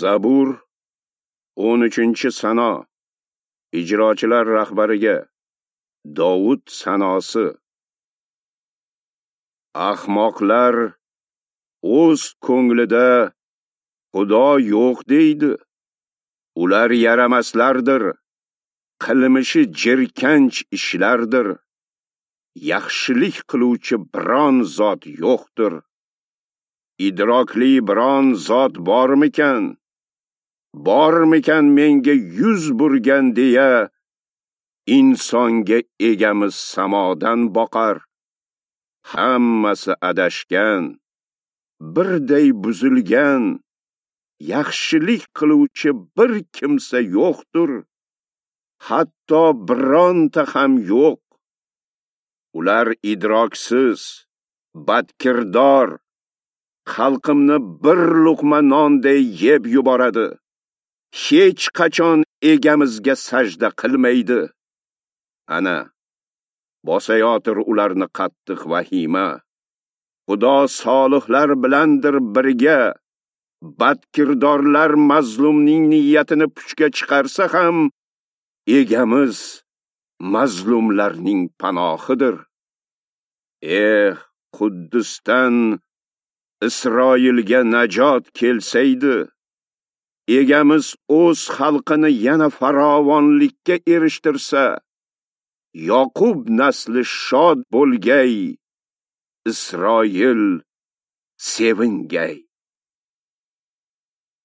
Zabur 13-sano. Ijrochilar rahbariga Dovud sanosi. Ahmoqlar o'z ko'nglida Xudo yo'q deydi. Ular yaramaslardir, qilmishi jirkanch ishlardir. Yaxshilik qiluvchi biron zot yo'qdir. Idrokli biron zot bormikan? Bormikan menga yuz burgan deya insonga egamiz samodan boqar. Hammasi adashgan, birday buzilgan, yaxshilik qiluvchi bir kimsa yo'qdir, hatto bironta ham yo'q. Ular idroksiz, badkirdor, xalqimni bir luqma nonday yeb yuboradi. Hech qachon egamizga sajda qilmaydi. Ana, bosayotir ularni qattiq vahima. Xudo solihlar bilandir birga. Badkirdorlar mazlumning niyatini puchga chiqarsa ham, egamiz mazlumlarning panohidir. Eh, Quddusdan Isroilga najot kelsaydi, egamiz o'z xalqini yana farovonlikka erishtirsa, Yoqub nasli shod bo'lgay, Isroil sevingay.